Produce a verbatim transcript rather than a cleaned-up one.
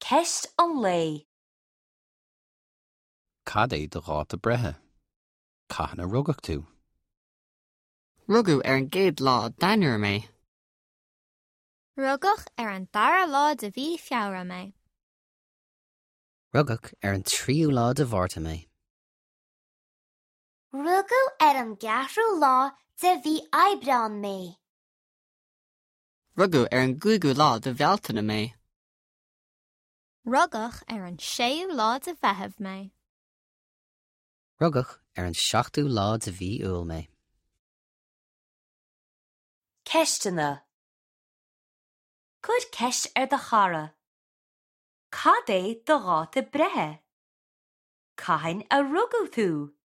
Ceist an lae. Cad é do dháta breithe? Cathain a rugadh tú? Rugadh ar an gcéad lá d'Eanáir mé. Rugadh ar an dara lá de mhí Feabhra mé. Rugadh ar an tríú lá de Mhárta mé. Rugadh ar an gceathrú lá de mhí Aibreáin mé. Rugadh ar an gcúigiú lá de Bhealtaine mé. Rugadh ar an séú lá de Mheitheamh mé. Rugadh ar an seachtú lá de mhí Iúil mé. Ceisteanna. Cuir ceist ar do chara. Cad é do dháta breithe? Cathain a rugadh tú?